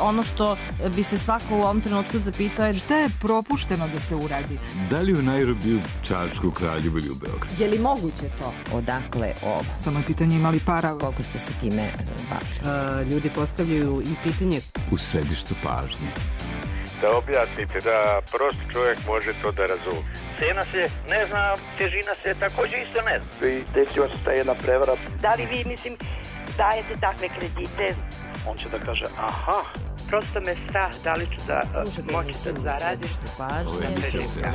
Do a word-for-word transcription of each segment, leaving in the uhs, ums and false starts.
ono što bi se svako u ovom trenutku zapitao je šta je propušteno da se uradi. Da li u Nairobiju, Čačku, Kraljevu ili u Beogradu? Je li moguće to? Odakle ovo? Samo je pitanje imali para. Koliko ste se time bavili? Ljudi postavljaju i pitanje. U središtu pažnje. Da objasnite, da prost čovjek može to da razumije. Cena se ne zna, težina se također isto ne zna. I desila se ta jedna prevara. Da li vi, mislim, dajete takve kredite? On će da kaže, aha, prosto me strah da li ću da moći da zaradim. Ovo je emisija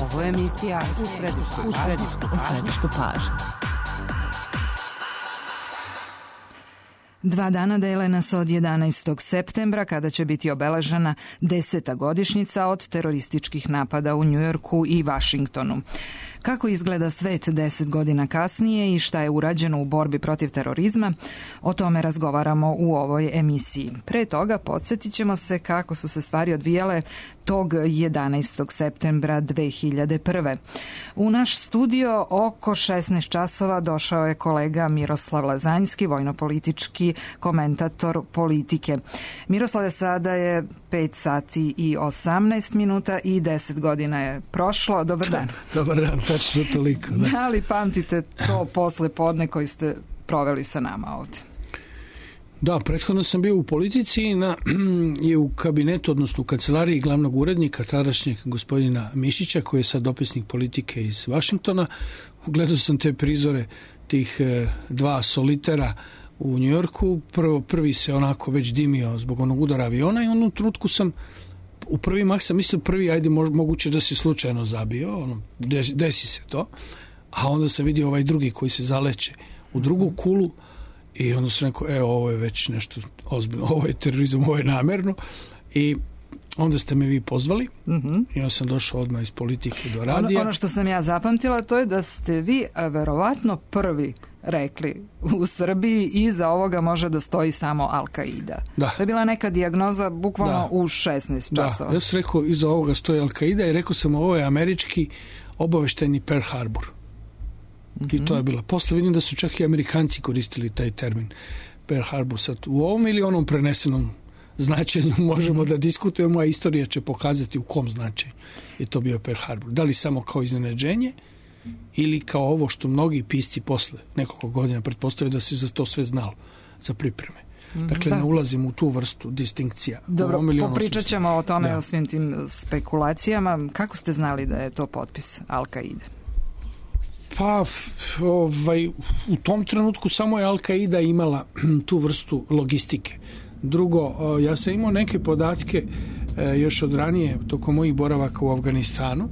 Ovo je emisija u središtu, u središtu, u središtu pažnje. Dva dana dele nas od jedanaestog septembra, kada će biti obeležena deseta godišnjica od terorističkih napada u Njujorku i Vašingtonu. Kako izgleda svet deset godina kasnije i šta je urađeno u borbi protiv terorizma, o tome razgovaramo u ovoj emisiji. Pre toga podsjetit ćemo se kako su se stvari odvijale tog jedanaestog septembra dve hiljade prve. U naš studio oko šesnaest časova došao je kolega Miroslav Lazanjski, vojnopolitički komentator politike. Miroslave, sada je pet sati i osamnaest minuta i deset godina je prošlo. Dobar dan. Dobar dan, tačno toliko. Da. Da li pamtite to posle podne koji ste proveli sa nama ovdje? Da, prethodno sam bio u politici na, i u kabinetu, odnosno u kancelariji glavnog urednika tadašnjeg gospodina Mišića, koji je sad dopisnik politike iz Vašingtona. Gledao sam te prizore tih e, dva solitera u Njujorku. Prvo, prvi se onako već dimio zbog onog udara aviona i u onom trenutku sam u prvi mah sam mislio prvi, ajde moguće da se slučajno zabio, ono, desi, desi se to, a onda sam vidio ovaj drugi koji se zaleće u drugu kulu i onda sam rekao, e, ovo je već nešto ozbiljno, ovo je terorizam, ovo je namerno i onda ste me vi pozvali mm-hmm. i onda sam došao odmah iz politike do radija. Ono, ono što sam ja zapamtila, to je da ste vi verovatno prvi rekli u Srbiji iza ovoga može da stoji samo Al-Qaida. Da. To je bila neka dijagnoza bukvalno da. U šesnaest časova. Da, ja sam rekao iza ovoga stoji Al-Qaida i rekao sam ovo je američki obaveštajni Pearl Harbor. Mm-hmm. I to je bila. Posle vidim da su čak i Amerikanci koristili taj termin Pearl Harbor. Sad u ovom ili onom prenesenom značenju možemo da diskutujemo, a istorija će pokazati u kom značenju je to bio Pearl Harbor. Da li samo kao iznenađenje ili kao ovo što mnogi pisci posle nekoliko godina pretpostavljaju da se za to sve znalo, za pripreme. Dakle, da. Ne ulazim u tu vrstu distinkcija. Dobro, popričat ćemo o tome, da. O svim tim spekulacijama. Kako ste znali da je to potpis Al-Qaide? Pa, ovaj, u tom trenutku samo je Al-Qaida imala tu vrstu logistike. Drugo, ja sam imao neke podatke još od ranije, tokom mojih boravaka u Afganistanu,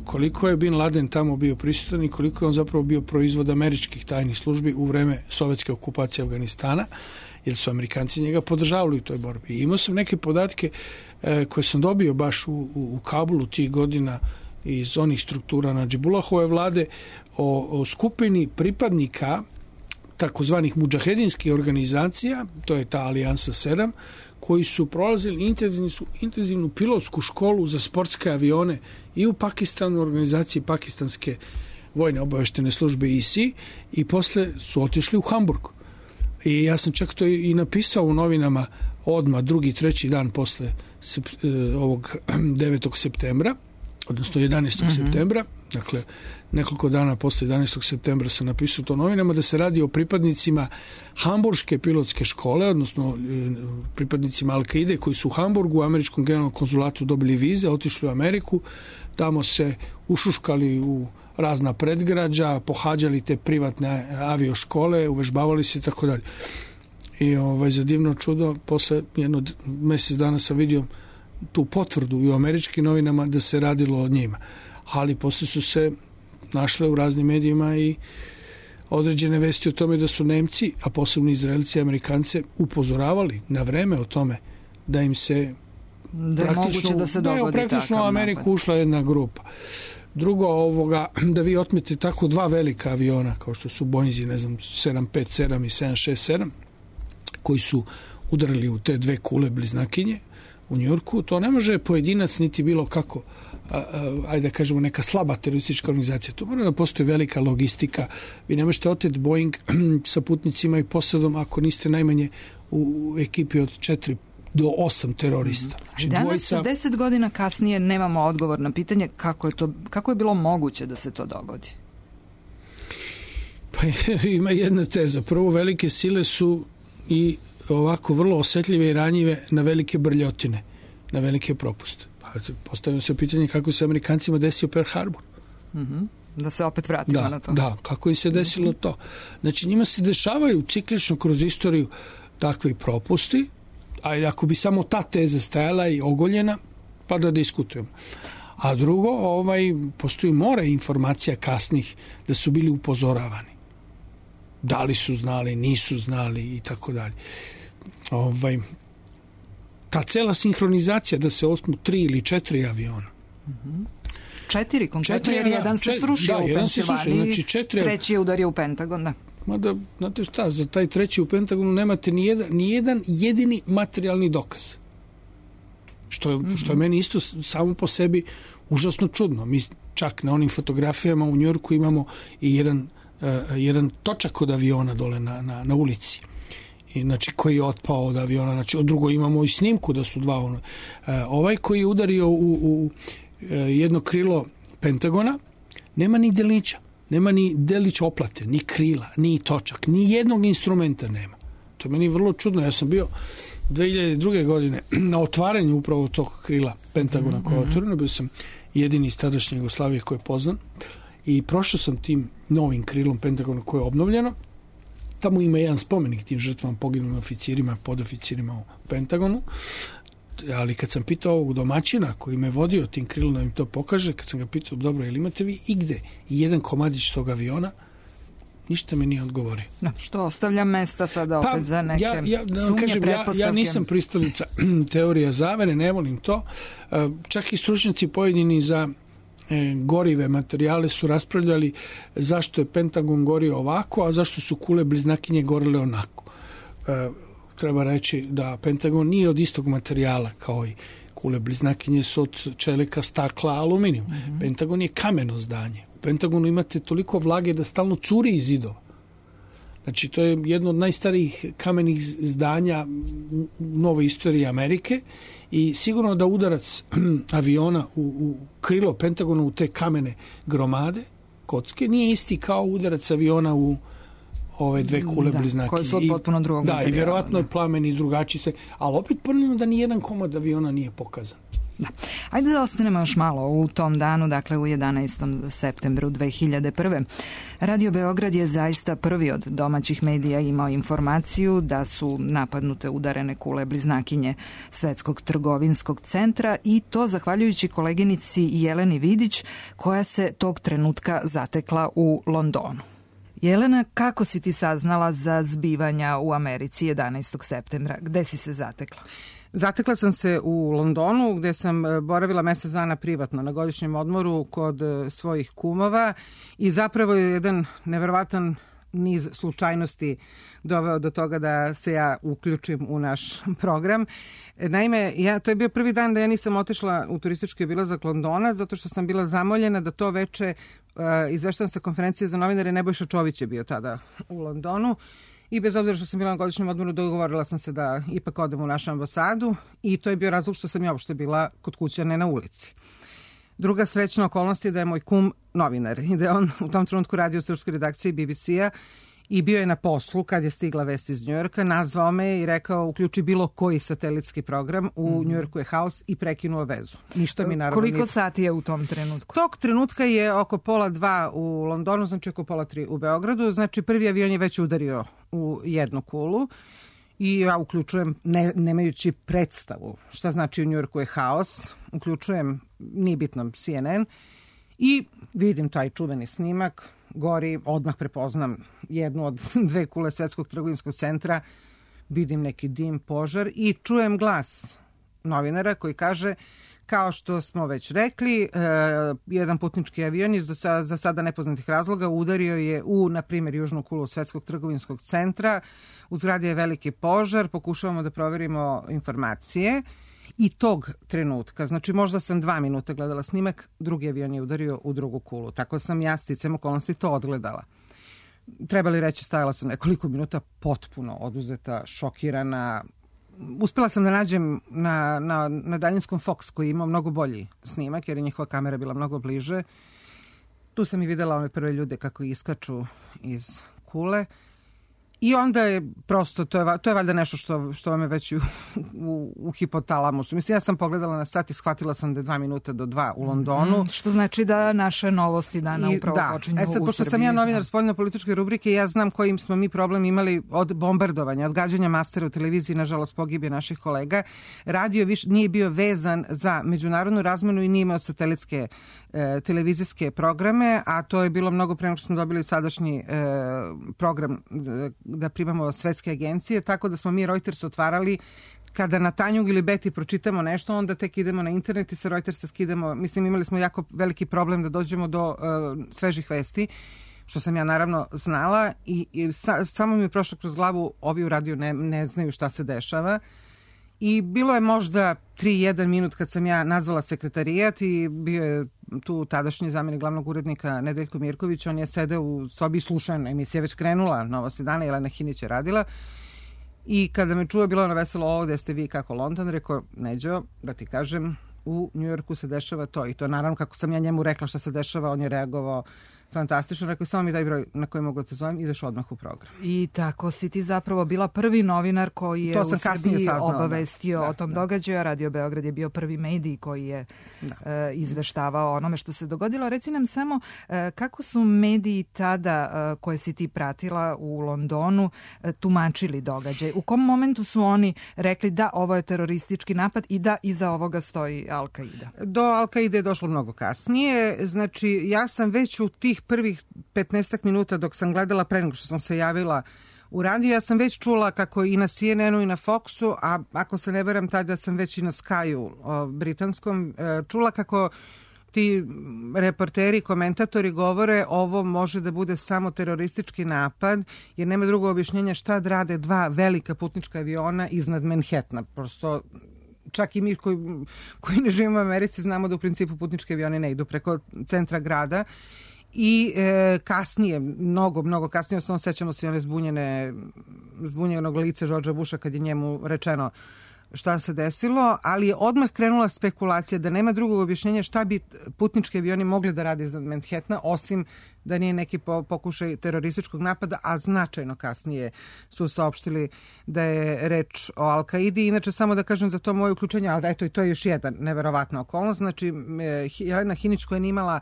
koliko je Bin Laden tamo bio prisutan i koliko je on zapravo bio proizvod američkih tajnih službi u vreme sovjetske okupacije Afganistana, jer su Amerikanci njega podržavali u toj borbi. I imao sam neke podatke koje sam dobio baš u, u, u Kabulu tih godina iz onih struktura Nadžibullahove vlade o, o skupini pripadnika takozvanih mudžahedinskih organizacija, to je ta Alijansa sedam, koji su prolazili intenzivnu, intenzivnu pilotsku školu za sportske avione i u Pakistanu, organizaciji pakistanske vojne obaveštene službe I S I, i posle su otišli u Hamburg. I ja sam čak to i napisao u novinama odmah drugi, treći dan posle ovog devetog septembra, odnosno jedanaestog Mm-hmm. septembra, dakle nekoliko dana posle jedanaestog septembra sam napisao to novinama, da se radi o pripadnicima Hamburške pilotske škole, odnosno pripadnicima Al-Qaide koji su u Hamburgu u američkom generalnom konzulatu dobili vize, otišli u Ameriku, tamo se ušuškali u razna predgrađa, pohađali te privatne avioškole, uvežbavali se i tako dalje. I ovaj, za divno čudo, posle jedno mjesec dana sam vidio tu potvrdu i u američkim novinama da se radilo o njima. Ali posle su se našle u raznim medijima i određene vesti o tome da su Nemci, a posebno Izraelci i Amerikance, upozoravali na vreme o tome da im se da je moguće da se dogodi da je praktično u Ameriku napad. Ušla jedna grupa. Drugo, ovoga, da vi otmete tako dva velika aviona kao što su Boeinzi, ne znam, sedam pet sedam i sedam šest sedam, koji su udarili u te dve kule bliznakinje u Njujorku, to ne može pojedinac niti bilo kako, a, a, ajde da kažemo neka slaba teroristička organizacija. To mora da postoji velika logistika. Vi ne možete oteti Boeing sa putnicima i posadom ako niste najmanje u ekipi od četiri do osam terorista. Znači, danas, dvojica... deset godina kasnije, nemamo odgovor na pitanje kako je, to, kako je bilo moguće da se to dogodi. Pa ima jedna teza. Prvo, velike sile su i ovako vrlo osetljive i ranjive na velike brljotine, na velike propuste. Pa postavljamo se pitanje kako se Amerikancima desio Pearl Harbor. Mm-hmm. Da se opet vratimo da, na to. Da, kako im se desilo to. Znači, njima se dešavaju ciklično kroz istoriju takvi propusti, a ako bi samo ta teza stajala i ogoljena, pa da diskutujemo. A drugo, ovaj, postoji more informacija kasnih da su bili upozoravani. Da li su znali, nisu znali i tako dalje. Ovaj, ta cela sinhronizacija da se osmu tri ili četiri aviona. Mm-hmm. Četiri konkretno, četiri, jer jedan se četiri, srušio da, u Pensilvaniji, znači četiri, treći je udario u Pentagon, da. Mada, znate šta, za taj treći u Pentagonu nemate ni jedan, ni jedan jedini materijalni dokaz. Što je, mm-hmm. što je meni isto samo po sebi užasno čudno. Mi čak na onim fotografijama u Njujorku imamo i jedan, uh, jedan točak od aviona dole na, na, na ulici. I, znači, koji je otpao od aviona. Znači, od drugo imamo i snimku da su dva. Ono. Uh, ovaj koji je udario u, u uh, jedno krilo Pentagona, nema ni delića. Nema ni delić oplate, ni krila, ni točak, ni jednog instrumenta nema. To je meni vrlo čudno. Ja sam bio dve hiljade druge. godine na otvaranju upravo tog krila Pentagona koje je otvoreno. Bio sam jedini iz tadašnje Jugoslavije koji je poznan. I prošao sam tim novim krilom Pentagona koje je obnovljeno. Tamo ima jedan spomenik tim žrtvama, poginulim oficirima, podoficirima u Pentagonu. Ali kad sam pitao ovog domaćina koji me vodio tim krilom da im to pokaže, kad sam ga pitao, dobro, jel imate vi igde jedan komadić tog aviona, ništa mi nije odgovorio. No, što ostavlja mesta sada opet pa, za neke ja, ja, da sumnje, kažem, pretpostavke. Ja, ja nisam pristalica teorija zavere, ne volim to. Čak i stručnjaci pojedini za e, gorive materijale su raspravljali zašto je Pentagon gorio ovako, a zašto su kule bliznakinje gorile onako. E, treba reći da Pentagon nije od istog materijala kao i kule bliznakinje su od čelika, stakla, aluminijum. Mm-hmm. Pentagon je kameno zdanje. U Pentagonu imate toliko vlage da stalno curi iz zidova. Znači, to je jedno od najstarijih kamenih zdanja u novoj istoriji Amerike i sigurno da udarac aviona u, u krilo Pentagona u te kamene gromade, kocke, nije isti kao udarac aviona u ove dve kule da, bliznake. Koje su od potpuno drugog da, materijala. I vjerovatno je plamen i drugačiji se, ali opet ponavljamo da nijedan komad aviona nije pokazan. Da. Ajde da ostanemo još malo u tom danu, dakle u jedanaestom septembru dve hiljade prve. Radio Beograd je zaista prvi od domaćih medija imao informaciju da su napadnute udarene kule bliznakinje Svetskog trgovinskog centra i to zahvaljujući koleginici Jeleni Vidić koja se tog trenutka zatekla u Londonu. Jelena, kako si ti saznala za zbivanja u Americi jedanaestog septembra? Gde si se zatekla? Zatekla sam se u Londonu gde sam boravila mesec dana privatno na godišnjem odmoru kod svojih kumova i zapravo je jedan neverovatan niz slučajnosti doveo do toga da se ja uključim u naš program. Naime, ja, to je bio prvi dan da ja nisam otišla u turistički obilazak Londona zato što sam bila zamoljena da to veče uh, izveštam sa konferencije za novinare. Nebojša Čović je bio tada u Londonu i bez obzira što sam bila na godišnjem odmoru dogovorila sam se da ipak odem u našu ambasadu i to je bio razlog što sam ja uopšte bila kod kuće, ne na ulici. Druga srećna okolnost je da je moj kum novinar i da je on u tom trenutku radio u srpskoj redakciji B B C-a i bio je na poslu kad je stigla vest iz Njujorka, nazvao me i rekao uključi bilo koji satelitski program, u mm-hmm. Njujorku je haos i prekinuo vezu. Ništa mi naravno Koliko nije... sati je u tom trenutku? Tog trenutka je oko pola dva u Londonu, znači oko pola tri u Beogradu, znači prvi avion je već udario u jednu kulu i ja uključujem, ne, nemajući predstavu šta znači u Njujorku je haos, uključujem, nije bitno, C N N i vidim taj čuveni snimak, gori, odmah prepoznam jednu od dve kule Svetskog trgovinskog centra, vidim neki dim, požar i čujem glas novinara koji kaže kao što smo već rekli, eh, jedan putnički avion iz za, za sada nepoznatih razloga udario je u, na primjer, južnu kulu Svetskog trgovinskog centra. U zgradi je veliki požar, pokušavamo da proverimo informacije i tog trenutka, znači možda sam dva minuta gledala snimak, drugi avion je udario u drugu kulu. Tako sam ja sticam okolnosti to odgledala. trebali reći, stajala sam nekoliko minuta potpuno oduzeta, šokirana. Uspela sam da nađem na, na, na daljinskom Fox koji ima mnogo bolji snimak jer je njihova kamera bila mnogo bliže. Tu sam i videla ove prve ljude kako iskaču iz kule. I onda je prosto, to je, to je valjda nešto što, što vam je već u, u, u hipotalamusu. Mislim, ja sam pogledala na sat i shvatila sam da je dva minuta do dva u Londonu. Mm, što znači da naše novosti dana upravo da. počinju u Srbiji. E sad, pošto sam ja novinar spoljno-političke rubrike, ja znam kojim smo mi problem imali od bombardovanja, od gađanja mastera u televiziji, nažalost pogibije naših kolega. Radio viš, nije bio vezan za međunarodnu razmenu i nije imao satelitske e, televizijske programe, a to je bilo mnogo pre nego što smo dobili sadašnji e, program da primamo svetske agencije, tako da smo mi Reuters otvarali kada na Tanjug ili Beti pročitamo nešto, onda tek idemo na internet i sa Reutersa skidamo. Mislim, imali smo jako veliki problem da dođemo do uh, svežih vesti, što sam ja naravno znala i, i sa, samo mi je prošlo kroz glavu, ovi u radiju ne, ne znaju šta se dešava. I bilo je možda tri jedan minut kad sam ja nazvala sekretarijat i bio je tu tadašnji zamjenik glavnog urednika Nedeljko Mirković, on je sedeo u sobi i slušao, emisija već krenula, Novosti dana, Jelena Hinić je radila. I kada me čuo, bilo ono veselo, ovo gde ste vi kako London, rekao, Neđo, da ti kažem, u Njujorku se dešava to. I to naravno kako sam ja njemu rekla šta se dešava, on je reagovao fantastično. Rekao, samo mi daj broj na koji mogu da te zovem, ideš odmah u program. I tako si ti zapravo bila prvi novinar koji je u Srbiji saznala, obavestio da, o tom da. događaju. Radio Beograd je bio prvi medij koji je e, izveštavao onome što se dogodilo. Reci nam samo e, kako su mediji tada e, koje si ti pratila u Londonu e, tumačili događaj? U kom momentu su oni rekli da ovo je teroristički napad i da iza ovoga stoji Al-Qaida? Do Al-Qaide je došlo mnogo kasnije. Znači, ja sam već u tih prvih petnaestak minuta dok sam gledala pre nego što sam se javila u radiju, ja sam već čula kako i na C N N-u i na Foxu, a ako se ne veram tada sam već i na Skyu britanskom, čula kako ti reporteri, komentatori govore ovo može da bude samo teroristički napad, jer nema drugog objašnjenja šta da rade dva velika putnička aviona iznad Manhattana. Prosto čak i mi koji, koji ne živimo u Americi znamo da u principu putnički avioni ne idu preko centra grada. I e, kasnije, mnogo, mnogo kasnije, osnovno sećamo se one zbunjene, zbunjenog lice Georgea Busha kad je njemu rečeno šta se desilo, ali je odmah krenula spekulacija da nema drugog objašnjenja šta bi putnički avioni mogli da rade iznad Manhattana, osim da nije neki pokušaj terorističkog napada, a značajno kasnije su saopštili da je reč o Al-Qaidi. Inače, samo da kažem za to moje uključenje, ali da eto i to je još jedan neverovatna okolnost. Znači, Jelena Hinić koja je imala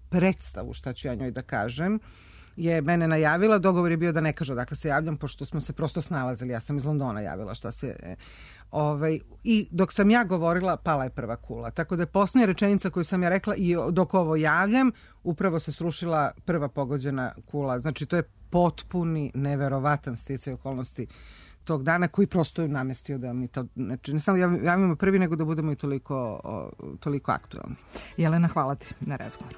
predstavu šta ću ja njoj da kažem, je mene najavila, dogovor je bio da ne kaže odakle se javljam, pošto smo se prosto snalazili, ja sam iz Londona javila šta se... Ovaj, i dok sam ja govorila, pala je prva kula. Tako da je posljednja rečenica koju sam ja rekla i dok ovo javljam, upravo se srušila prva pogođena kula. Znači, to je potpuni, neverovatan sticaj okolnosti tog dana koji prosto je namestio da mi to, znači ne samo javimo prvi, nego da budemo i toliko, toliko aktualni. Jelena, hvala ti na razgovoru.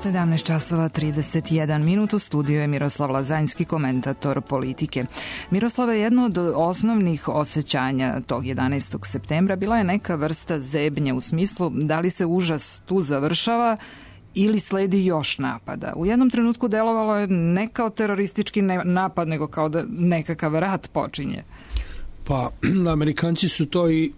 sedamnaest časova trideset jedan minut, u studiju je Miroslav Lazanjski, komentator politike. Miroslave, jedno od osnovnih osjećanja tog jedanaestog septembra bila je neka vrsta zebnje u smislu da li se užas tu završava ili sledi još napada. U jednom trenutku delovalo je ne kao teroristički napad, nego kao da nekakav rat počinje. Pa, Amerikanci su to i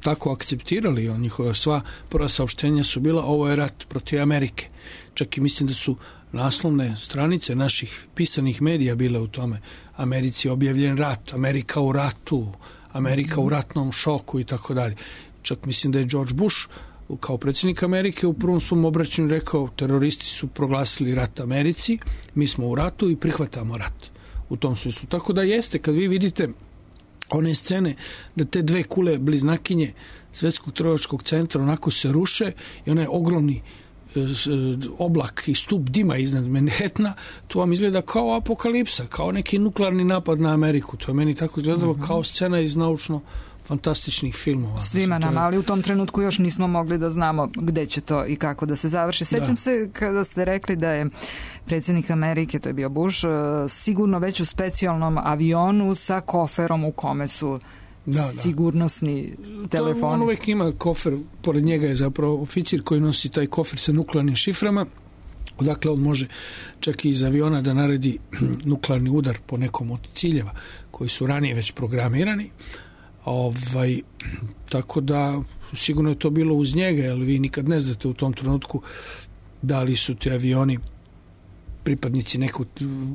tako akceptirali. Njihova sva prva saopštenja su bila ovo je rat protiv Amerike. Čak i mislim da su naslovne stranice naših pisanih medija bile u tome. Americi je objavljen rat, Amerika u ratu, Amerika u ratnom šoku i tako dalje. Čak mislim da je George Bush kao predsjednik Amerike u prvom svom obraćanju rekao teroristi su proglasili rat Americi, mi smo u ratu i prihvatamo rat u tom smislu. Tako da jeste, kad vi vidite one scene da te dve kule bliznakinje Svetskog trgovačkog centra onako se ruše i onaj ogromni oblak i stup dima iznad Manhattana, to vam izgleda kao apokalipsa, kao neki nuklearni napad na Ameriku. To je meni tako izgledalo mm-hmm. kao scena iz naučno fantastičnih filmova. Svima nam, ali u tom trenutku još nismo mogli da znamo gde će to i kako da se završi. Sećam da. se kada ste rekli da je predsjednik Amerike, to je bio Bush, sigurno već u specijalnom avionu sa koferom u kome su da, da. sigurnosni telefoni. To, on uvijek ima kofer, pored njega je zapravo oficir koji nosi taj kofer sa nuklearnim šiframa, odakle on može čak i iz aviona da naredi nuklearni udar po nekom od ciljeva koji su ranije već programirani. Ovaj, tako da sigurno je to bilo uz njega, jer vi nikad ne znate u tom trenutku da li su ti avioni pripadnici neku,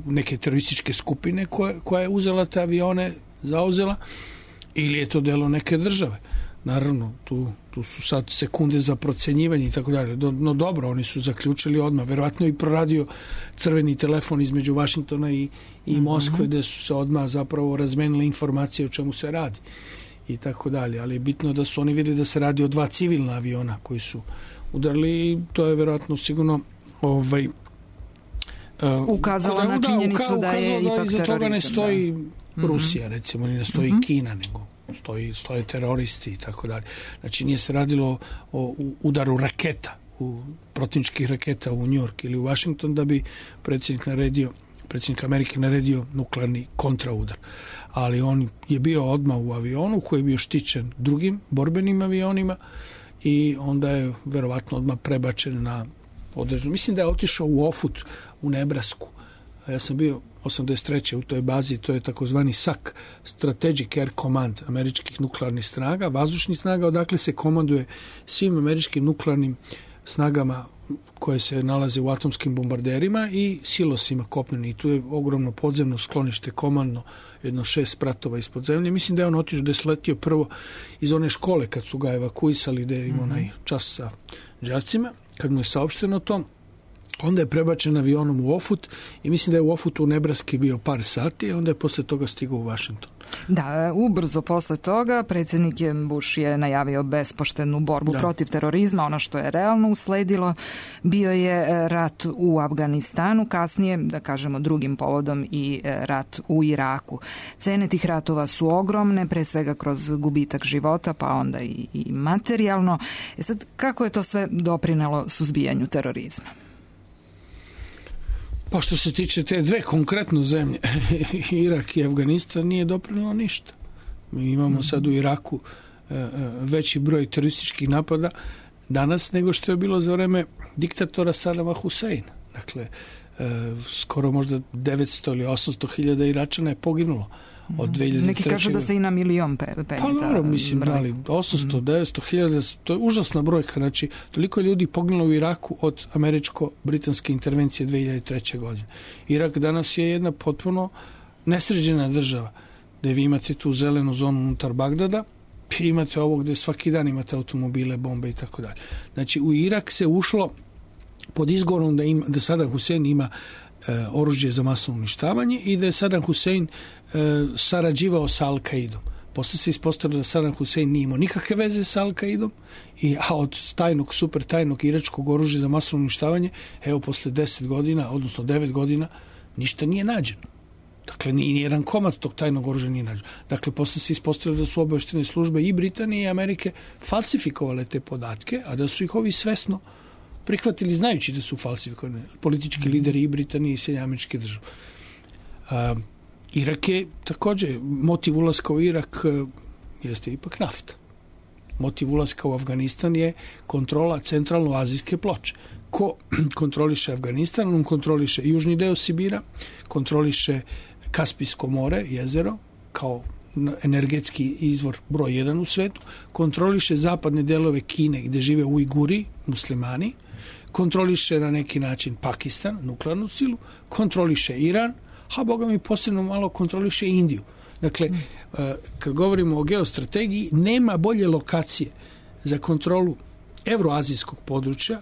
neke terorističke skupine koja, koja je uzela te avione, zauzela, ili je to delo neke države. Naravno, tu, tu su sad sekunde za procenjivanje i tako dalje. No dobro, oni su zaključili odmah. Verovatno i proradio crveni telefon između Vašingtona i, i Moskve, mm-hmm. gde su se odmah zapravo razmenile informacije o čemu se radi i tako dalje. Ali je bitno da su oni vidjeli da se radi o dva civilna aviona koji su udarili i to je verovatno sigurno ovaj, uh, ukazalo na činjenicu da, da je ipak terorizam. Iza toga ne stoji da. Rusija, recimo, ni ne stoji mm-hmm. Kina, nego stoji, stoje teroristi i tako dalje. Znači nije se radilo o udaru raketa, u protivničkih raketa u New York ili u Washington da bi predsjednik naredio, predsjednik Amerike naredio nuklearni kontraudar. Ali on je bio odmah u avionu koji je bio štićen drugim borbenim avionima i onda je verovatno odmah prebačen na određenu. Mislim da je otišao u Ofut u Nebrasku. Ja sam bio osamdeset treće u toj bazi, to je takozvani S A C, Strategic Air Command američkih nuklearnih snaga, vazdušnih snaga, odakle se komanduje svim američkim nuklearnim snagama koje se nalaze u atomskim bombarderima i silosima kopneni. I tu je ogromno podzemno sklonište, komandno, jedno šest spratova ispod zemlje. Mislim da je on otišao, da je sletio prvo iz one škole kad su ga evakuisali, da je imao mm-hmm. onaj čas sa đacima, kad mu je saopšteno to. Onda je prebačen avionom u Ofut i mislim da je u Ofutu u Nebraski bio par sati, a onda je posle toga stigao u Washington. Da, ubrzo posle toga predsjednik Bush je najavio bespoštednu borbu da. protiv terorizma. Ono što je realno usledilo bio je rat u Afganistanu, kasnije, da kažemo drugim povodom, i rat u Iraku. Cene tih ratova su ogromne, pre svega kroz gubitak života, pa onda i, i materijalno. E sad, kako je to sve doprinelo suzbijanju terorizma? Pa što se tiče te dve konkretno zemlje, Irak i Afganistan, nije doprinelo ništa. Mi imamo sad u Iraku veći broj terorističkih napada danas nego što je bilo za vreme diktatora Sadama Huseina. Dakle, skoro možda devetsto ili osamsto hiljada Iračana je poginulo od dve hiljade treće. Neki kažu da se i na milion pe, penjita. Pa dobro, mislim, ali osamsto, devetsto hiljada, to je užasna brojka. Znači, toliko ljudi poginulo u Iraku od američko-britanske intervencije dve hiljade treće. godine. Irak danas je jedna potpuno nesređena država, gde vi imate tu zelenu zonu unutar Bagdada, i imate ovo gde svaki dan imate automobile, bombe i tako dalje. Znači, u Irak se ušlo pod izgovorom da, ima, da Saddam Hussein ima e, oružje za masovno uništavanje i da je Saddam Hussein e, sarađivao sa Al-Qaidom. Posle se ispostavilo da Saddam Hussein nije imao nikakve veze sa Al-Qaidom, i, a od tajnog, super tajnog iračkog oružja za masovno uništavanje, evo, posle deset godina, odnosno devet godina, ništa nije nađeno. Dakle, ni jedan komad tog tajnog oružja nije nađeno. Dakle, posle se ispostavilo da su obaveštene službe i Britanije i Amerike falsifikovale te podatke, a da su ih ovi svesno prihvatili znajući da su falsifikovane politički lideri i Britanije i Sjedinjene Američke Države. Uh, Irak je također, motiv ulaska u Irak uh, jeste ipak nafta. Motiv ulaska u Afganistan je kontrola centralno-azijske ploče. Ko kontroliše Afganistan, on kontroliše južni deo Sibira, kontroliše Kaspijsko more, jezero, kao energetski izvor broj jedan u svetu, kontroliše zapadne delove Kine gde žive Ujguri, muslimani, kontroliše na neki način Pakistan, nuklearnu silu, kontroliše Iran, a boga mi posebno malo kontroliše Indiju. Dakle, kad govorimo o geostrategiji, nema bolje lokacije za kontrolu evroazijskog područja,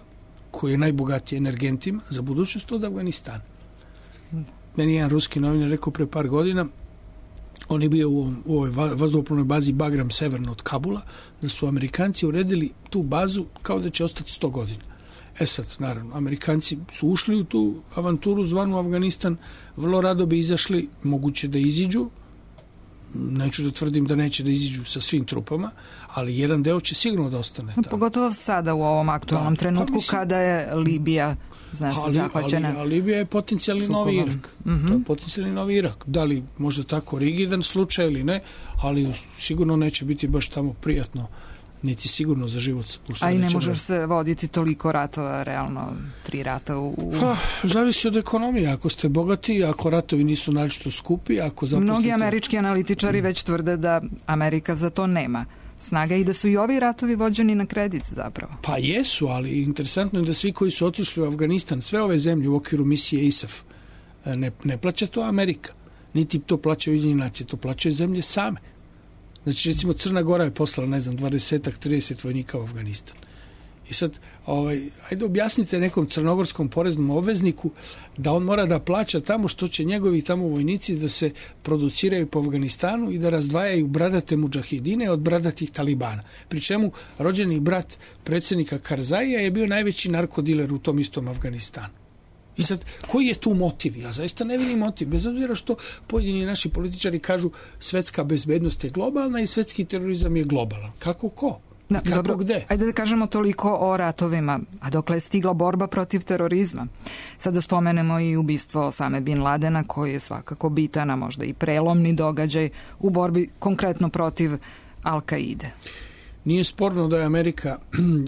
koji je najbogatiji energentima za budućnost, od Afganistana. Meni jedan ruski novinar rekao pre par godina, on je bio u, u ovoj vazduhoplovnoj bazi Bagram severno od Kabula, da su Amerikanci uredili tu bazu kao da će ostati sto godina. E sad, naravno, Amerikanci su ušli u tu avanturu zvanu Afganistan, vrlo rado bi izašli, moguće da iziđu, neću da tvrdim da neće da iziđu sa svim trupama, ali jedan deo će sigurno da ostane tamo. Pogotovo sada u ovom aktualnom da, trenutku pa mislim, kada je Libija zna se ali, zahvaćena. Ali, ali Libija je potencijalni novi Irak. Mm-hmm. To je potencijalni novi Irak. Da li možda tako rigidan slučaj ili ne, ali sigurno neće biti baš tamo prijatno, niti sigurno za život. A i ne može se voditi toliko ratova, realno tri rata u... u... Pa, zavisi od ekonomije. Ako ste bogati, ako ratovi nisu naročito skupi, ako zapustite... Mnogi američki analitičari već tvrde da Amerika za to nema snaga i da su i ovi ratovi vođeni na kredit zapravo. Pa jesu, ali interesantno je da svi koji su otišli u Afganistan, sve ove zemlje u okviru misije I S A F, ne, ne plaća to Amerika. Niti to plaćaju Ujedinjene nacije, to plaćaju zemlje same. Znači, recimo, Crna Gora je poslala, ne znam, dvadeset trideset vojnika u Afganistan. I sad, ovaj, ajde objasnite nekom crnogorskom poreznom obvezniku da on mora da plaća tamo što će njegovi tamo vojnici da se produciraju po Afganistanu i da razdvajaju bradate mudžahidine od bradatih talibana. Pri čemu rođeni brat predsjednika Karzaija je bio najveći narkodiler u tom istom Afganistanu. I sad, koji je tu motiv? Ja zaista ne vidim motiv, bez obzira što pojedini naši političari kažu svetska bezbednost je globalna i svetski terorizam je globalan. Kako ko? Da, kako dobro, gde? Ajde da kažemo toliko o ratovima, a dokle je stigla borba protiv terorizma. Sada spomenemo i ubistvo Osame Bin Ladena, koji je svakako bitan, a možda i prelomni događaj u borbi konkretno protiv Al-Kaide. Nije sporno da je Amerika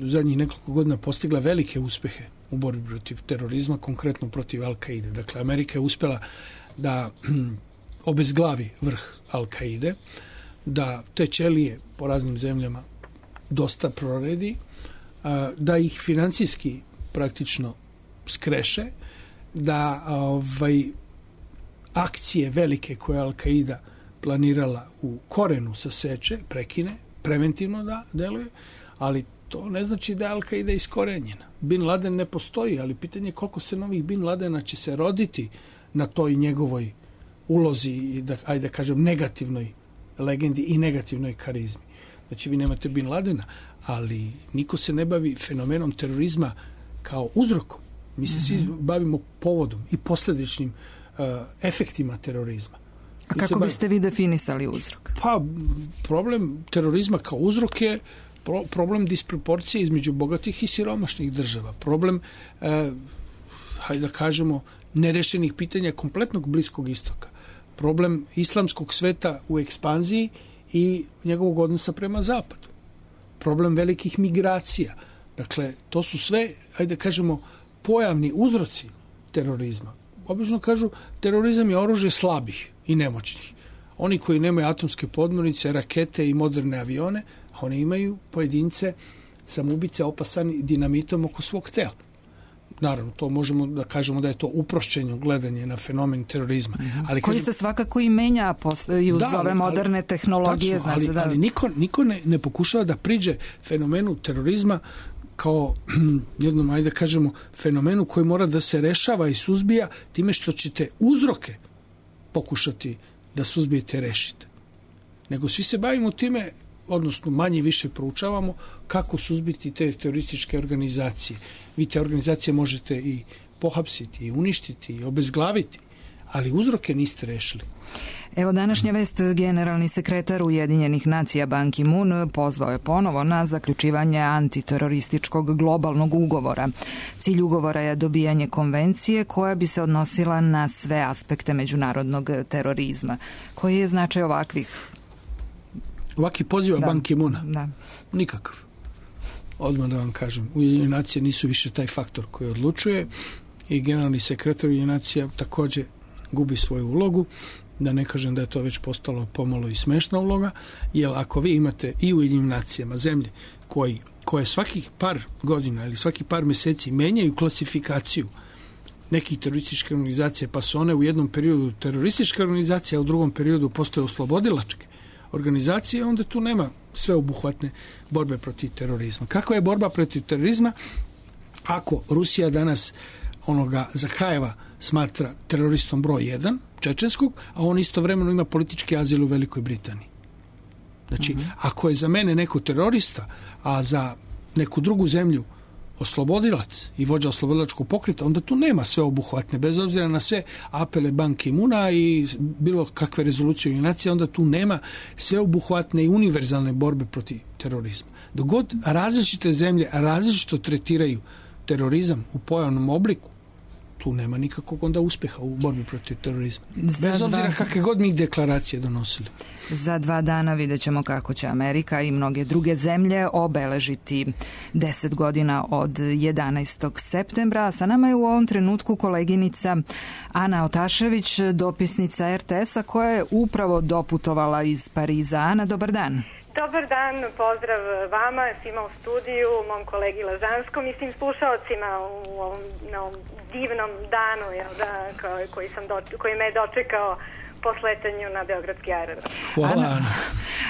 u zadnjih nekoliko godina postigla velike uspehe u borbi protiv terorizma, konkretno protiv Al-Kaide. Dakle, Amerika je uspjela da obezglavi vrh Al-Kaide, da te ćelije po raznim zemljama dosta proredi, da ih financijski praktično skreše, da ovaj, akcije velike koje Al-Kaida planirala u korenu saseče, prekine, preventivno da deluje, ali to ne znači da je Al-Kaida iskorenjena. Bin Laden ne postoji, ali pitanje je koliko se novih Bin Ladena će se roditi na toj njegovoj ulozi, da, ajde da kažem, negativnoj legendi i negativnoj karizmi. Znači, vi nemate Bin Ladena, ali niko se ne bavi fenomenom terorizma kao uzrokom. Mi se mm-hmm. svi bavimo povodom i posledičnim uh, efektima terorizma. A mi kako bavi... biste vi definisali uzrok? Pa, problem terorizma kao uzrok je pro, problem disproporcije između bogatih i siromašnih država. Problem, uh, hajde da kažemo, nerešenih pitanja kompletnog Bliskog istoka. Problem islamskog sveta u ekspanziji i njegovog odnosa prema zapadu. Problem velikih migracija. Dakle, to su sve, ajde da kažemo, pojavni uzroci terorizma. Obično kažu, terorizam je oružje slabih i nemoćnih. Oni koji nemaju atomske podmornice, rakete i moderne avione, oni imaju pojedince samoubice opasani dinamitom oko svog tela. Naravno, to možemo da kažemo da je to uprošćeno gledanje na fenomen terorizma. Mm-hmm. Ali koji kažem, se svakako i menja posle, i uz da, ove moderne ali, tehnologije. Tačno, ali, da... ali niko, niko ne, ne pokušava da priđe fenomenu terorizma kao jednom, ajde da kažemo, fenomenu koji mora da se rešava i suzbija time što ćete uzroke pokušati da suzbijete i rešite. Nego svi se bavimo time, odnosno manje više proučavamo kako suzbiti te terorističke organizacije. Vi te organizacije možete i pohapsiti, i uništiti, i obezglaviti, ali uzroke niste rešili. Evo današnja vest, generalni sekretar Ujedinjenih nacija Ban Ki-moon pozvao je ponovo na zaključivanje antiterorističkog globalnog ugovora. Cilj ugovora je dobijanje konvencije koja bi se odnosila na sve aspekte međunarodnog terorizma. Koji je značaj ovakvih? Ovaki poziva da. Ban Ki-moona? Da. Nikakav. Odmah da vam kažem, Ujedinjene nacije nisu više taj faktor koji odlučuje i generalni sekretar Ujedinjenih nacija također gubi svoju ulogu, da ne kažem da je to već postalo pomalo i smešna uloga, jer ako vi imate i u Ujedinjenim nacijama zemlje koji, koje svakih par godina ili svaki par mjeseci menjaju klasifikaciju nekih terorističkih organizacija, pa su one u jednom periodu terorističke organizacije, a u drugom periodu postoje oslobodilačke organizacije, onda tu nema sveobuhvatne borbe protiv terorizma. Kakva je borba protiv terorizma ako Rusija danas onoga Zakajeva smatra teroristom broj jedan, čečenskog, a on istovremeno ima politički azil u Velikoj Britaniji. Znači, uh-huh. ako je za mene neko terorista, a za neku drugu zemlju oslobodilac i vođa oslobodilačkog pokreta, onda tu nema sveobuhvatne, bez obzira na sve apele Ban Ki-moona i bilo kakve rezolucije Ujedinjenih nacija, onda tu nema sveobuhvatne i univerzalne borbe protiv terorizma. Dok god različite zemlje različito tretiraju terorizam u pojavnom obliku, tu nema nikakvog onda uspeha u borbi protiv terorizma. Za Bez obzira dva... kakve god mi deklaracije donosili. Za dva dana vidjet ćemo kako će Amerika i mnoge druge zemlje obeležiti deset godina od jedanaestog septembra. Sa nama je u ovom trenutku koleginica Ana Otašević, dopisnica er te es-a, koja je upravo doputovala iz Pariza. Ana, dobar dan. Dobar dan, pozdrav vama, svima u studiju, mom kolegi Lazanskom i svim slušalcima u ovom, na ovom divnom danu jel da, koji, sam do, koji me je dočekao po sletanju na Beogradski aerodrom. Hvala, Ana.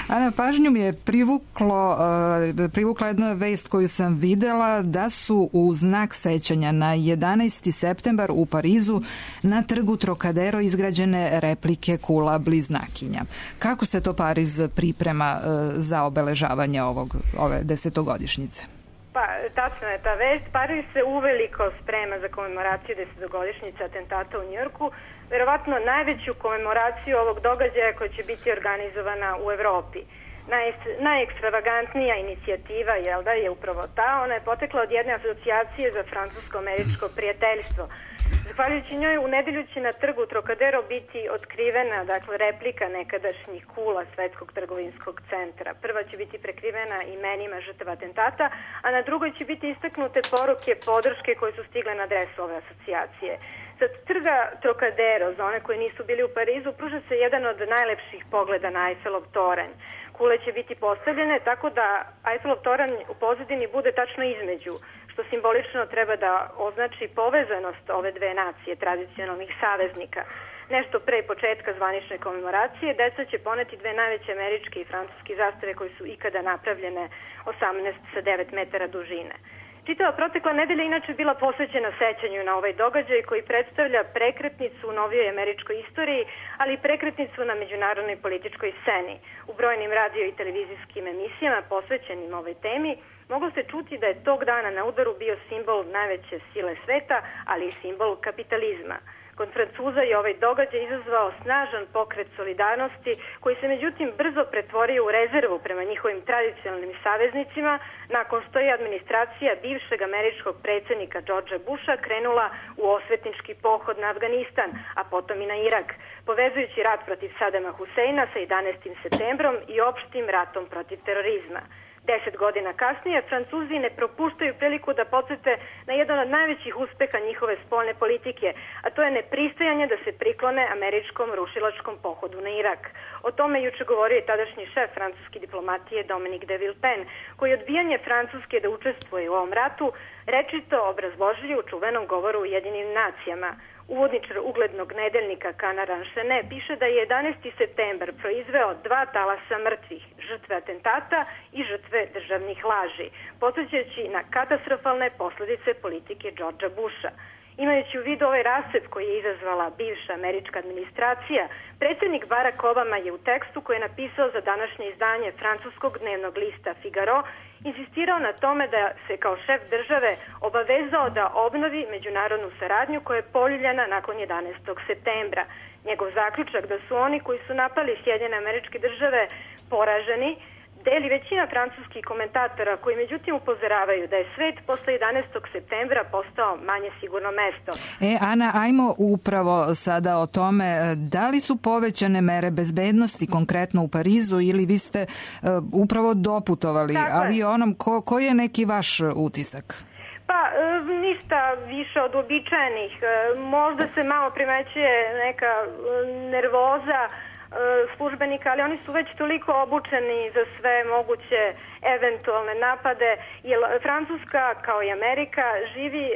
Ana, pažnju mi je privuklo, uh, privukla jedna vest koju sam videla, da su u znak sećanja na jedanaesti septembar u Parizu na trgu Trocadero izgrađene replike kula bliznakinja. Kako se to Pariz priprema uh, za obeležavanje ovog, ove desetogodišnjice? Pa, tačno je ta vest. Pariz se uveliko sprema za komemoraciju desetogodišnjice atentata u Njujorku, verovatno najveću komemoraciju ovog događaja koja će biti organizovana u Evropi. Naj, najekstravagantnija inicijativa jel da, je upravo ta. Ona je potekla od jedne asocijacije za francusko-američko prijateljstvo. Zahvaljujući njoj u nedelju će na trgu Trocadero biti otkrivena, dakle, replika nekadašnjih kula Svetskog trgovinskog centra. Prva će biti prekrivena imenima žrtava atentata, a na drugoj će biti istaknute poruke podrške koje su stigle na adresu ove asocijacije. Sa trga Trocadero, za one koji nisu bili u Parizu, pruža se jedan od najlepših pogleda na Eiffelov toranj. Kule će biti postavljene tako da Eiffelov toranj u pozadini bude tačno između, što simbolično treba da označi povezanost ove dve nacije, tradicionalnih saveznika. Nešto pre početka zvanične komemoracije, deca će poneti dve najveće američke i francuske zastave koje su ikada napravljene, osamnaest sa devet metara dužine. Čitava protekla nedelja inače bila posvećena sećanju na ovaj događaj koji predstavlja prekretnicu u novijoj američkoj istoriji, ali i prekretnicu na međunarodnoj političkoj sceni. U brojnim radio i televizijskim emisijama posvećenim ovoj temi moglo se čuti da je tog dana na udaru bio simbol najveće sile sveta, ali i simbol kapitalizma. Kod Francuza je ovaj događaj izazvao snažan pokret solidarnosti koji se međutim brzo pretvorio u rezervu prema njihovim tradicionalnim saveznicima nakon što je administracija bivšeg američkog predsjednika Georgea Busha krenula u osvetnički pohod na Afganistan, a potom i na Irak, povezujući rat protiv Sadama Huseina sa jedanaestim septembrom i opštim ratom protiv terorizma. Deset godina kasnije, Francuzi ne propuštaju priliku da podsjete na jedan od najvećih uspeha njihove spoljne politike, a to je nepristajanje da se priklone američkom rušilačkom pohodu na Irak. O tome juče govorio i tadašnji šef francuske diplomatije Dominique de Villepin, koji odbijanje Francuske da učestvuje u ovom ratu rečito obrazložili u čuvenom govoru Ujedinjenim nacijama. Uvodničar uglednog nedeljnika Canard Enchaîné piše da je jedanaesti septembar proizveo dva talasa mrtvih, žrtve atentata i žrtve državnih laži, podsjećajući na katastrofalne posledice politike Georgea Busha. Imajući u vidu ovaj rascep koji je izazvala bivša američka administracija, predsjednik Barack Obama je u tekstu koji je napisao za današnje izdanje francuskog dnevnog lista Figaro insistirao na tome da se kao šef države obavezao da obnovi međunarodnu saradnju koja je poljuljana nakon jedanaestog septembra. Njegov zaključak da su oni koji su napali Sjedinjene Američke Države poraženi deli većina francuskih komentatora koji međutim upozoravaju da je svet posle jedanaestog septembra postao manje sigurno mesto. E, Ana, ajmo upravo sada o tome, da li su povećane mere bezbednosti konkretno u Parizu ili vi ste uh, upravo doputovali avionom, ko, koji je neki vaš utisak? Pa, ništa više od uobičajenih. Možda se malo primećuje neka nervoza službenika, ali oni su već toliko obučeni za sve moguće eventualne napade, jer Francuska kao i Amerika živi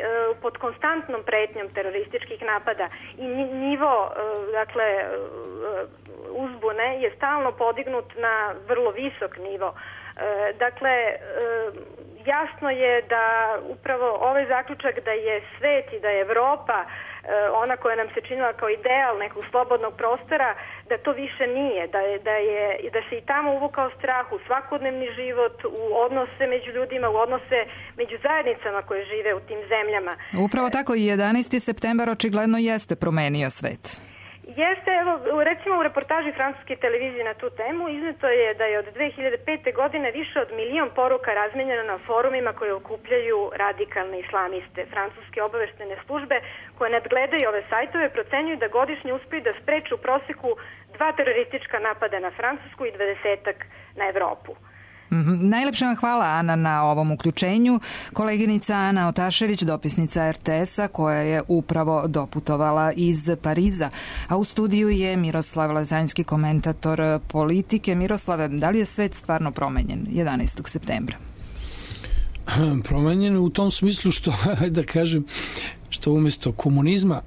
pod konstantnom pretnjom terorističkih napada i nivo, dakle, uzbune je stalno podignut na vrlo visok nivo. Dakle, jasno je da upravo ovaj zaključak da je svet i da je Evropa ona koja nam se činila kao ideal nekog slobodnog prostora, da to više nije, da, je, da, je, da se i tamo uvukao strah u svakodnevni život, u odnose među ljudima, u odnose među zajednicama koje žive u tim zemljama. Upravo tako i jedanaesti septembar očigledno jeste promenio svet. Jeste, evo, recimo u reportaži francuske televizije na tu temu izneto je da je od dve hiljade pete. godine više od milion poruka razmenjeno na forumima koje okupljaju radikalne islamiste. Francuske obaveštene službe koje nadgledaju ove sajtove procenjuju da godišnje uspiju da spreče u proseku dva teroristička napada na Francusku i dvadesetak na Evropu. Mm-hmm. Najlepša vam hvala, Ana, na ovom uključenju. Koleginica Ana Otašević, dopisnica er te es-a, koja je upravo doputovala iz Pariza. A u studiju je Miroslav Lazanjski, komentator politike. Miroslave, da li je svet stvarno promenjen jedanaestog septembra? Promenjen u tom smislu što, da kažem, što umjesto komunizma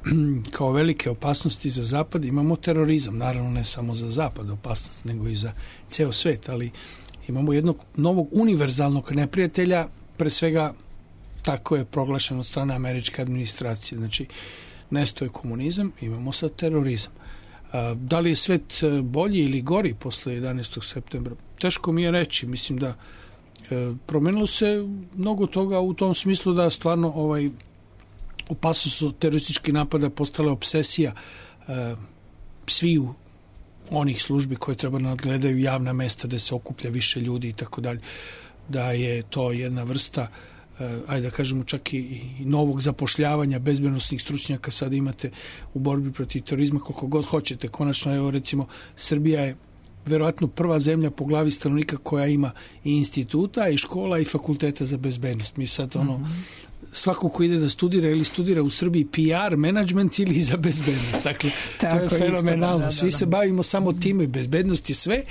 kao velike opasnosti za Zapad imamo terorizam. Naravno, ne samo za Zapad opasnost, nego i za ceo svet, ali imamo jednog novog univerzalnog neprijatelja, pre svega tako je proglašeno od strane američke administracije. Znači, nesto je komunizam, imamo sad terorizam. Da li je svet bolji ili gori posle jedanaestog septembra? Teško mi je reći. Mislim da promenilo se mnogo toga u tom smislu da stvarno ovaj opasnost od terorističkih napada postala obsesija sviju onih službi koje treba nadgledaju javna mesta gde se okuplja više ljudi i tako dalje, da je to jedna vrsta, ajde da kažemo čak i, i novog zapošljavanja bezbednosnih stručnjaka sad imate u borbi protiv terorizma koliko god hoćete. Konačno, evo recimo, Srbija je verovatno prva zemlja po glavi stanovnika koja ima i instituta i škola i fakulteta za bezbednost. Mi sad ono, mm-hmm. svako ko ide da studira ili studira u Srbiji P R, management ili za bezbednost. Dakle, to je fenomenalno. Da, da, da. Svi se bavimo samo time i bezbednost je sve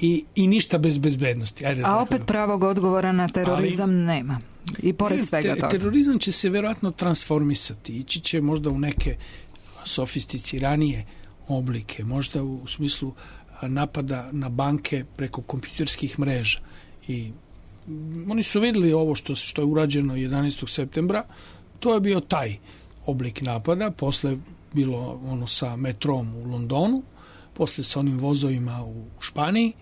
i, i ništa bez bezbednosti. Ajde, a opet pravog odgovora na terorizam ali, nema. I pored svega te, toga. Terorizam će se verovatno transformisati. Ići će možda u neke sofisticiranije oblike. Možda u smislu napada na banke preko kompjuterskih mreža. I oni su vidjeli ovo što, što je urađeno jedanaestog septembra, to je bio taj oblik napada, posle bilo ono sa metrom u Londonu, posle sa onim vozovima u Španiji,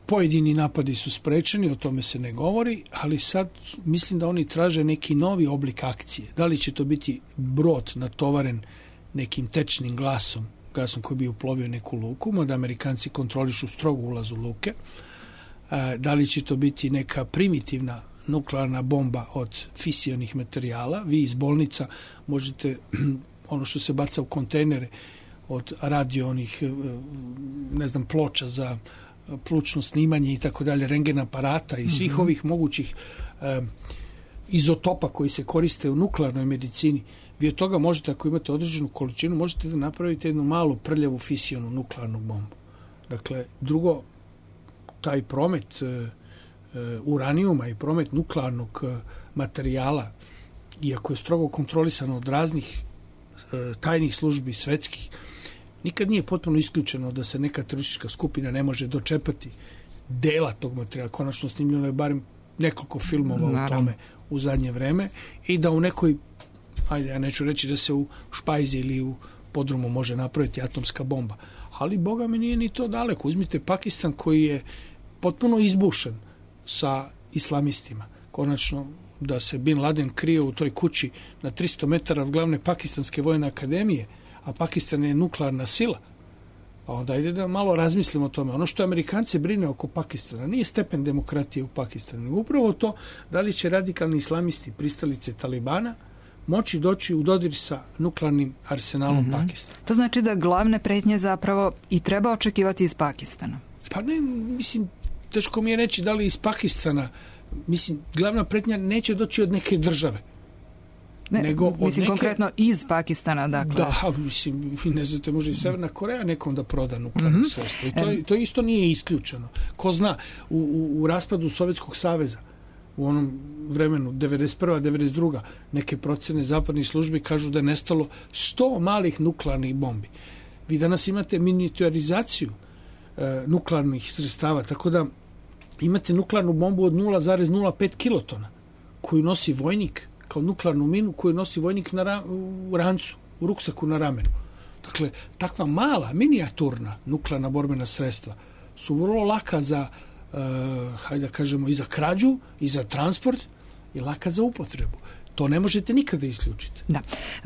pojedini napadi su sprečeni, o tome se ne govori, ali sad mislim da oni traže neki novi oblik akcije. Da li će to biti brod natovaren nekim tečnim glasom, gasom koji bi uplovio neku luku, mada Amerikanci kontrolišu strogo ulaz u luke, da li će to biti neka primitivna nuklearna bomba od fisionih materijala. Vi iz bolnica možete ono što se baca u kontejnere od radio onih, ne znam, ploča za plučno snimanje i tako dalje, rengen aparata i svih mm-hmm. ovih mogućih eh, izotopa koji se koriste u nuklearnoj medicini. Vi od toga možete, ako imate određenu količinu, možete da napravite jednu malu prljavu fisionu nuklearnu bombu. Dakle, drugo, taj promet e, uranijuma i promet nuklearnog e, materijala, iako je strogo kontrolisano od raznih e, tajnih službi svetskih, nikad nije potpuno isključeno da se neka teroristička skupina ne može dočepati dela tog materijala. Konačno snimljeno je barem nekoliko filmova o tome u zadnje vreme i da u nekoj, ajde, ja neću reći da se u Špajzi ili u podrumu može napraviti atomska bomba, ali boga mi nije ni to daleko. Uzmite Pakistan koji je potpuno izbušen sa islamistima. Konačno da se Bin Laden krije u toj kući na tristo metara od glavne pakistanske vojne akademije, a Pakistan je nuklearna sila, pa onda ide da malo razmislimo o tome. Ono što Amerikanci brine oko Pakistana nije stepen demokratije u Pakistanu, nego upravo to da li će radikalni islamisti, pristalice Talibana, moći doći u dodir sa nuklearnim arsenalom mm-hmm. Pakistana. To znači da glavne pretnje zapravo i treba očekivati iz Pakistana. Pa ne, mislim, teško mi je reći da li iz Pakistana. Mislim, glavna pretnja neće doći od neke države. Ne, nego od mislim, neke... konkretno iz Pakistana, dakle. Da, mislim, ne znate, može i Severna Koreja nekom da proda nuklearno mm-hmm. sredstvo. I to, to isto nije isključeno. Ko zna, u, u, u raspadu Sovjetskog saveza, u onom vremenu devedeset prva devedeset druga neke procene zapadnih službi kažu da je nestalo sto malih nuklearnih bombi. Vi danas imate miniaturizaciju e, nuklearnih sredstava, tako da imate nuklearnu bombu od nula zarez nula pet kilotona koju nosi vojnik kao nuklearnu minu koju nosi vojnik na ra, u rancu, u ruksaku na ramenu. Dakle, takva mala, minijaturna nuklearna borbena sredstva su vrlo laka za, uh, hajde da kažemo, i za krađu, i za transport, i laka za upotrebu. To ne možete nikada isključiti. Da.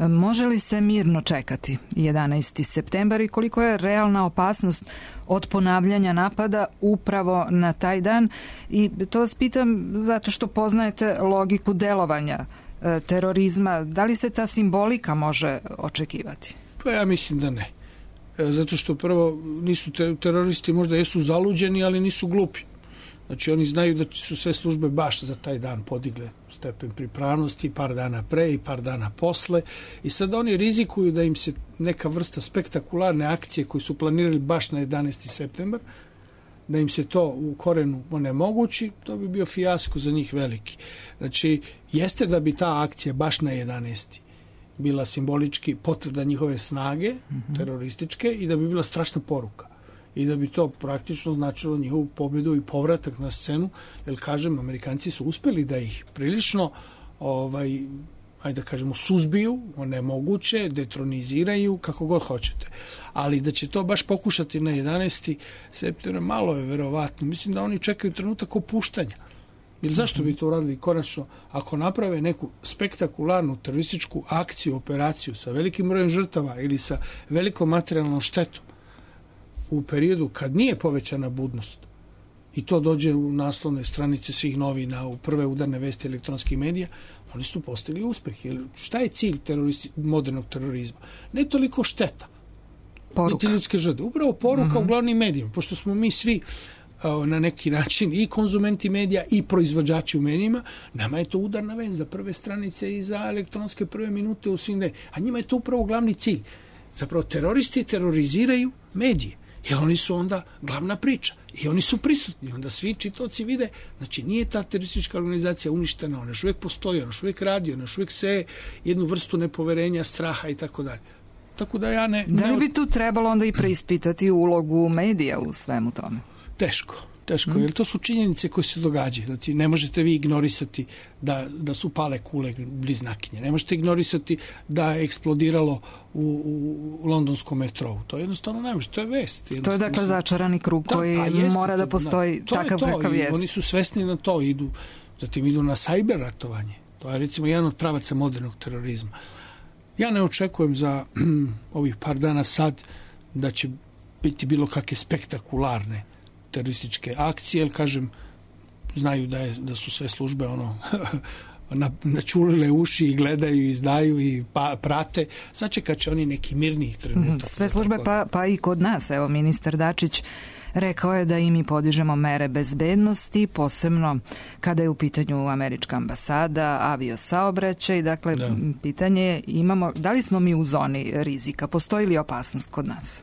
Može li se mirno čekati jedanaesti septembar i koliko je realna opasnost od ponavljanja napada upravo na taj dan? I to vas pitam zato što poznajete logiku delovanja e, terorizma. Da li se ta simbolika može očekivati? Pa ja mislim da ne. E, zato što prvo nisu te, teroristi možda jesu zaluđeni, ali nisu glupi. Znači oni znaju da su sve službe baš za taj dan podigle stepen pripravnosti par dana pre i par dana posle i sad oni rizikuju da im se neka vrsta spektakularne akcije koju su planirali baš na jedanaesti septembar, da im se to u korenu onemogući, to bi bio fijasko za njih veliki. Znači, jeste da bi ta akcija baš na jedanaesti bila simbolički potvrda njihove snage, mm-hmm. terorističke, i da bi bila strašna poruka. I da bi to praktično značilo njihovu pobedu i povratak na scenu, jer, kažem, Amerikanci su uspeli da ih prilično, ovaj, ajde da kažemo, suzbiju, onemoguće, detroniziraju, kako god hoćete. Ali da će to baš pokušati na jedanaesti septembra, malo je verovatno. Mislim da oni čekaju trenutak opuštanja. Jer zašto bi to uradili konačno ako naprave neku spektakularnu terorističku akciju, operaciju sa velikim brojem žrtava ili sa velikom materijalnom štetom u periodu kad nije povećana budnost i to dođe u naslovne stranice svih novina, u prve udarne vesti elektronskih medija, oni su postigli uspeh. Jer šta je cilj teroristi, modernog terorizma? Ne toliko šteta, niti ljudske žrtve. Upravo poruka mm-hmm. u glavnim medijima, pošto smo mi svi na neki način i konzumenti medija i proizvođači u medijima, nama je to udarna vest za prve stranice i za elektronske prve minute u svim medijima. A njima je to upravo glavni cilj. Zapravo teroristi teroriziraju medije. Jer oni su onda glavna priča. I oni su prisutni. Onda svi čitaoci vide, znači nije ta teroristička organizacija uništena, ona još uvijek postoji, ona još uvijek radi, ona još uvijek seje jednu vrstu nepoverenja, straha i tako dalje. Tako da ja ne... Da li bi tu trebalo onda i preispitati ulogu medija u svemu tome? Teško. Teško, mm. jer to su činjenice koje se događaju. Znači, ne možete vi ignorisati da, da su pale kule bliznakinje. Ne možete ignorisati da je eksplodiralo u, u, u londonskom metrou. To jednostavno ne može. To je vest. To je dakle začarani krug da, koji jeste, mora da postoji da, takav kakav jest. Oni su svesni na to. Idu, zatim idu na sajber ratovanje. To je recimo jedan od pravaca modernog terorizma. Ja ne očekujem za ovih par dana sad da će biti bilo kakve spektakularne terorističke akcije, jer, kažem, znaju da, je, da su sve službe ono na, načulile uši i gledaju i znaju i pa, prate. Sačekat će oni neki mirnijih trenutak. Sve službe, pa, pa i kod nas. Evo, ministar Dačić rekao je da i mi podižemo mere bezbednosti, posebno kada je u pitanju američka ambasada, aviosaobraćaj. Dakle, da. pitanje je, imamo, da li smo mi u zoni rizika? Postoji li opasnost kod nas?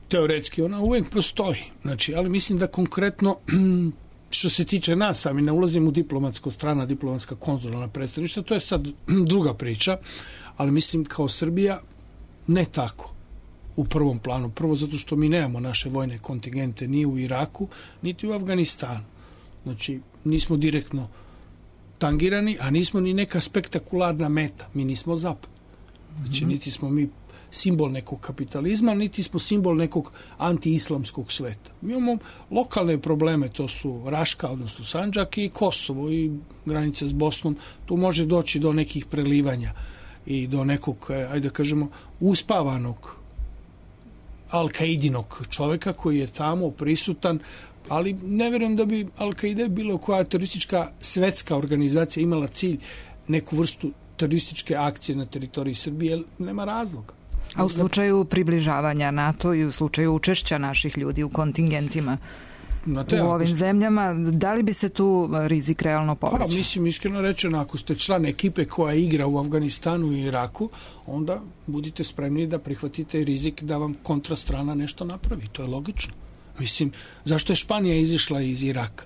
Teoretski ona uvijek postoji, znači, ali mislim da konkretno što se tiče nas, sami ne ulazim u diplomatsko strana, diplomatska konzularna predstavništva, to je sad druga priča, ali mislim kao Srbija ne tako u prvom planu. Prvo zato što mi nemamo naše vojne kontingente ni u Iraku, niti u Afganistanu. Znači, nismo direktno tangirani, a nismo ni neka spektakularna meta. Mi nismo zapad. Znači, niti smo mi simbol nekog kapitalizma, niti smo simbol nekog anti-islamskog sveta. Mi imamo lokalne probleme, to su Raška, odnosno Sandžak i Kosovo i granica s Bosnom. Tu može doći do nekih prelivanja i do nekog, ajde da kažemo, uspavanog Al-Kaidinog čoveka koji je tamo prisutan, ali ne vjerujem da bi Al-Kaide bilo koja teroristička svetska organizacija imala cilj neku vrstu terorističke akcije na teritoriji Srbije, jer nema razloga. A u slučaju približavanja NATO i u slučaju učešća naših ljudi u kontingentima te, u ovim ste... zemljama, da li bi se tu rizik realno povećao? Pa, mislim, iskreno rečeno, ako ste član ekipe koja igra u Afganistanu i Iraku, onda budite spremni da prihvatite rizik da vam kontrastrana nešto napravi. To je logično. Mislim, zašto je Španija izišla iz Iraka?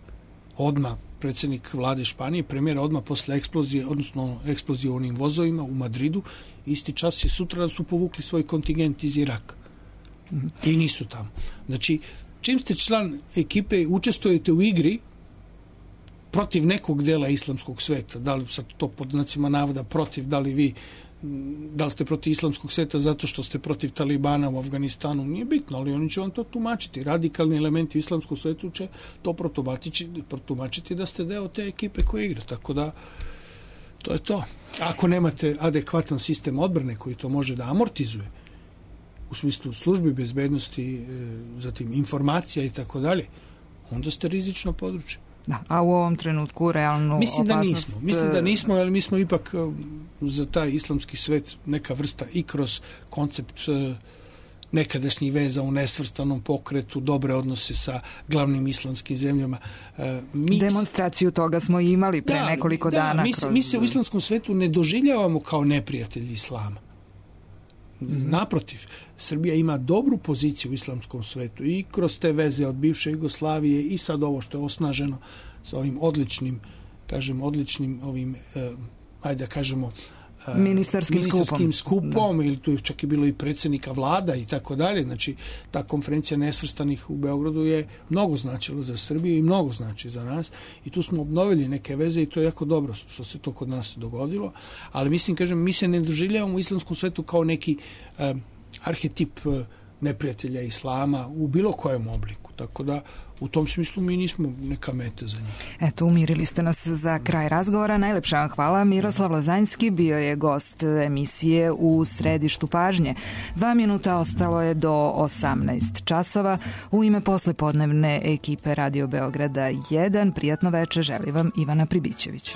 Odmah predsjednik vlade Španije, premijer, odmah posle eksplozije, odnosno eksplozije u onim vozovima u Madridu, isti čas je sutra da su povukli svoj kontingent iz Iraka. Mm-hmm. I nisu tamo. Znači, čim ste član ekipe, učestvujete u igri, protiv nekog dela islamskog sveta, da li sad to pod znacima navoda protiv, da li vi da li ste protiv islamskog sveta zato što ste protiv Talibana u Afganistanu, nije bitno, ali oni će vam to tumačiti. Radikalni elementi u islamskom svetu će to protumačiti, protumačiti da ste deo te ekipe koja igra. Tako da, to je to. Ako nemate adekvatan sistem odbrane koji to može da amortizuje, u smislu službi bezbednosti, zatim informacija i tako dalje, onda ste rizično područje. Da, a u ovom trenutku realnu Mislim opasnost... da nismo. Mislim da nismo, ali mi smo ipak za taj islamski svet neka vrsta i kroz koncept nekadašnjih veza u nesvrstanom pokretu, dobre odnose sa glavnim islamskim zemljama. Mi... Demonstraciju toga smo imali pre da, nekoliko da, dana. Mi, kroz... mi se u islamskom svetu ne doživljavamo kao neprijatelji islama. Mm-hmm. Naprotiv, Srbija ima dobru poziciju u islamskom svetu i kroz te veze od bivše Jugoslavije i sad ovo što je osnaženo sa ovim odličnim, kažem, odličnim ovim, eh, ajde da kažemo, eh, ministarskim, ministarskim skupom, skupom ili tu je čak i bilo i predsjednika vlada i tako dalje. Znači, ta konferencija nesvrstanih u Beogradu je mnogo značila za Srbiju i mnogo znači za nas i tu smo obnovili neke veze i to je jako dobro što se to kod nas dogodilo, ali mislim, kažem, mi se ne doživljavamo u islamskom svetu kao neki eh, arhetip eh, neprijatelja islama u bilo kojem obliku, tako da u tom smislu mi nismo neka meta za njih. Eto, umirili ste nas za kraj razgovora. Najlepša vam hvala. Miroslav Lazanjski bio je gost emisije U središtu pažnje. Dva minuta ostalo je do osamnaest časova. U ime poslepodnevne ekipe Radio Beograda jedan, prijatno veče želi vam Ivana Pribićević.